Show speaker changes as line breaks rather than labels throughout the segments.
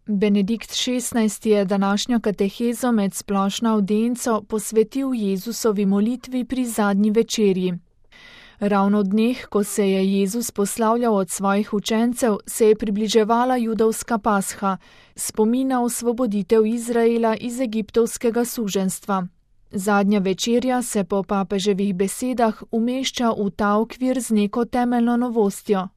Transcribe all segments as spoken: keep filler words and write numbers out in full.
Benedikt šestnajsti je današnjo katehezo med splošno avdienco posvetil Jezusovi molitvi pri zadnji večerji. Ravno v dneh, ko se je Jezus poslavljal od svojih učencev, se je približevala judovska pasha, spomin na osvoboditev Izraela iz egiptovskega suženjstva. Zadnja večerja se po papeževih besedah umešča v ta okvir z neko temeljno novostjo.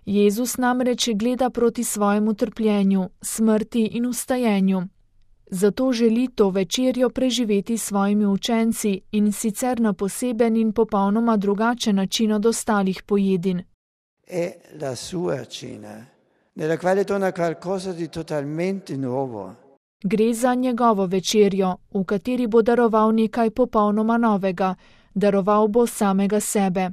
Jezus namreč gleda proti svojemu trpljenju, smrti in vstajenju. Zato želi to večerjo preživeti s svojimi učenci in sicer na poseben in popolnoma drugačen način od ostalih pojedin.
È la sua cena, nella quale dona qualcosa di totalmente nuovo.
Gre za njegovo večerjo, v kateri bo daroval nekaj popolnoma novega, daroval bo samega sebe.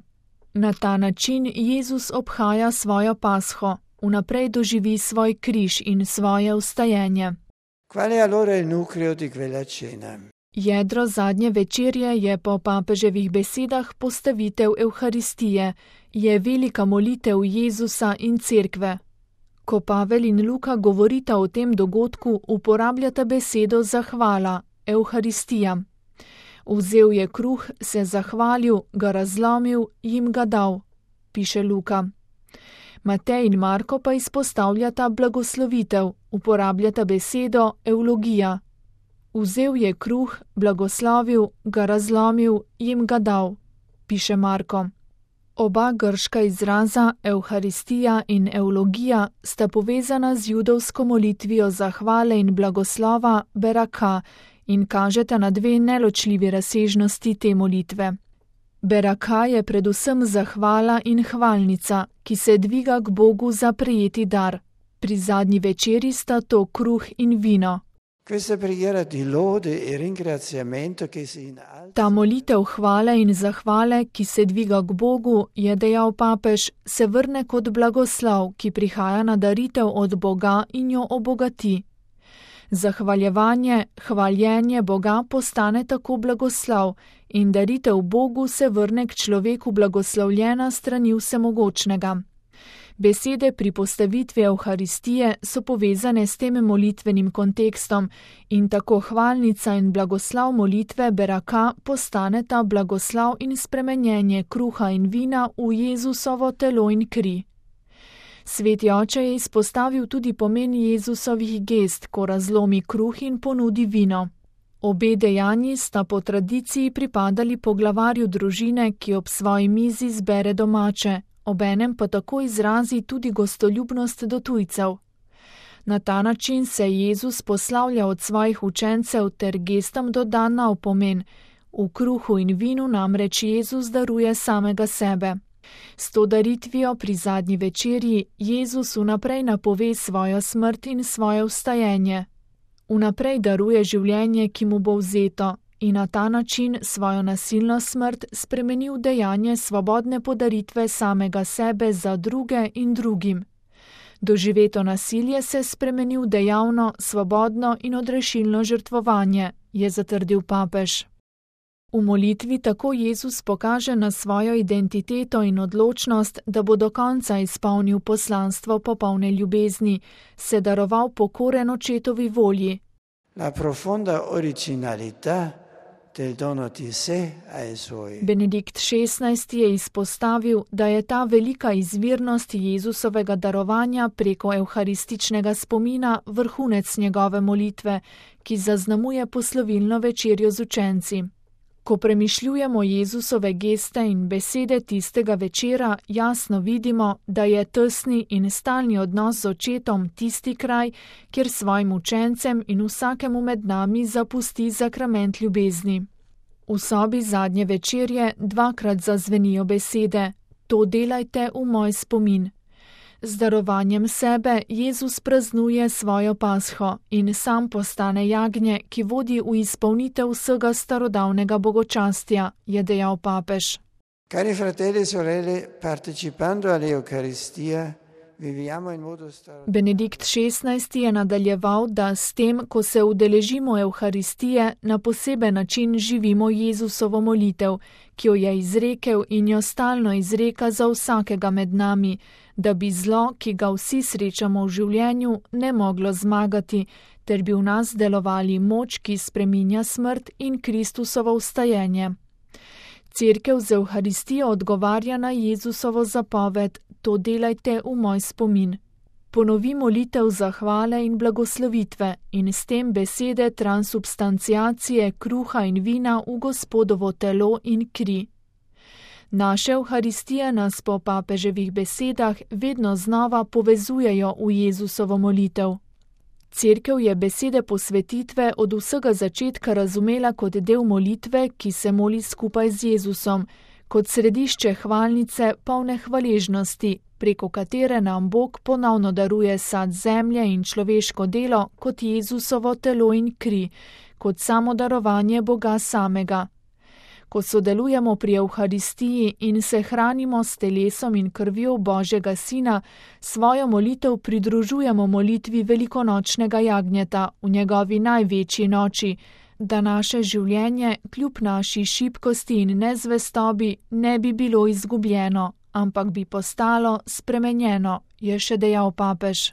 Na ta način Jezus obhaja svojo pasho, vnaprej doživi svoj križ in svoje vstajenje.
Qual è allora il nucleo di quella cena?
Jedro zadnje večerje je po papeževih besedah postavitev Evharistije, je velika molitev Jezusa in cerkve. Ko Pavel in Luka govorita o tem dogodku, uporabljata besedo zahvala, Evharistija. Vzel je kruh, se zahvalil, ga razlomil, jim ga dal, piše Luka. Matej in Marko pa izpostavljata blagoslovitev, uporabljata besedo eulogija. Vzel je kruh, blagoslovil, ga razlomil, jim ga dal, piše Marko. Oba grška izraza, Evharistija in eulogija, sta povezana z judovsko molitvijo zahvale in blagoslova beraka in kažeta na dve neločljivi razsežnosti te molitve. Beraka je predvsem zahvala in hvalnica, ki se dviga k Bogu za prejeti dar. Pri zadnji večeri sta to kruh in vino. Ta molitev hvale in zahvale, ki se dviga k Bogu, je dejal papež, se vrne kot blagoslov, ki prihaja na daritev od Boga in jo obogati. Zahvaljevanje, hvaljenje Boga postane tako blagoslov in daritev Bogu se vrne k človeku blagoslovljena strani vsemogočnega. Besede pri postavitvi Evharistije so povezane s tem molitvenim kontekstom in tako hvalnica in blagoslov molitve beraka postaneta blagoslov in spremenjenje kruha in vina v Jezusovo telo in kri. Sveti oče je izpostavil tudi pomen Jezusovih gest, ko razlomi kruh in ponudi vino. Obe dejanji sta po tradiciji pripadali poglavarju družine, ki ob svoji mizi zbere domače, obenem pa tako izrazi tudi gostoljubnost do tujcev. Na ta način se Jezus poslavlja od svojih učencev ter gestam doda nov pomen. V kruhu in vinu namreč Jezus daruje samega sebe. S to daritvijo pri zadnji večerji Jezus vnaprej napove svojo smrt in svoje vstajenje. Vnaprej daruje življenje, ki mu bo vzeto, in na ta način svojo nasilno smrt spremeni v dejanje svobodne podaritve samega sebe za druge in drugim. Doživeto nasilje se spremeni v dejavno, svobodno in odrešilno žrtvovanje, je zatrdil papež. V molitvi tako Jezus pokaže na svojo identiteto in odločnost, da bo do konca izpolnil poslanstvo popolne ljubezni, se daroval pokoren očetovi volji.
La profonda originalità del dono di sé ai suoi.
Benedikt šestnajsti je izpostavil, da je ta velika izvirnost Jezusovega darovanja preko evharističnega spomina vrhunec njegove molitve, ki zaznamuje poslovilno večerjo z učenci. Ko premišljujemo Jezusove geste in besede tistega večera, jasno vidimo, da je tesni in stalni odnos z očetom tisti kraj, kjer svojim učencem in vsakemu med nami zapusti sakrament ljubezni. V sobi zadnje večerje dvakrat zazvenijo besede: to delajte v moj spomin. Z darovanjem sebe Jezus praznuje svojo pasho in sam postane jagnje, ki vodi v izpolnitev vsega starodavnega bogočastja, je dejal papež.
Cari fratelli e sorelle, partecipando all'Eucaristia, viviamo in modo straordinario.
Benedikt šestnajsti je nadaljeval, da s tem, ko se udeležimo Evharistije, na poseben način živimo Jezusovo molitev, ki jo je izrekel in jo stalno izreka za vsakega med nami, da bi zlo, ki ga vsi srečamo v življenju, ne moglo zmagati, ter bi v nas delovali moč, ki spreminja smrt in Kristusovo vstajenje. Cerkev z Evharistijo odgovarja na Jezusovo zapoved: to delajte v moj spomin. Ponovi molitev zahvale in blagoslovitve in s tem besede transubstanciacije kruha in vina v Gospodovo telo in kri. Naše Evharistije nas po papeževih besedah vedno znova povezujejo v Jezusovo molitev. Cerkev je besede posvetitve od vsega začetka razumela kot del molitve, ki se moli skupaj z Jezusom, kot središče hvalnice polne hvaležnosti, preko katere nam Bog ponovno daruje sad zemlje in človeško delo kot Jezusovo telo in kri, kot samo darovanje Boga samega. Ko sodelujemo pri Evharistiji in se hranimo s telesom in krvjo Božjega Sina, svojo molitev pridružujemo molitvi velikonočnega jagnjeta v njegovi največji noči, da naše življenje kljub naši šibkosti in nezvestobi ne bi bilo izgubljeno, ampak bi postalo spremenjeno, je še dejal papež.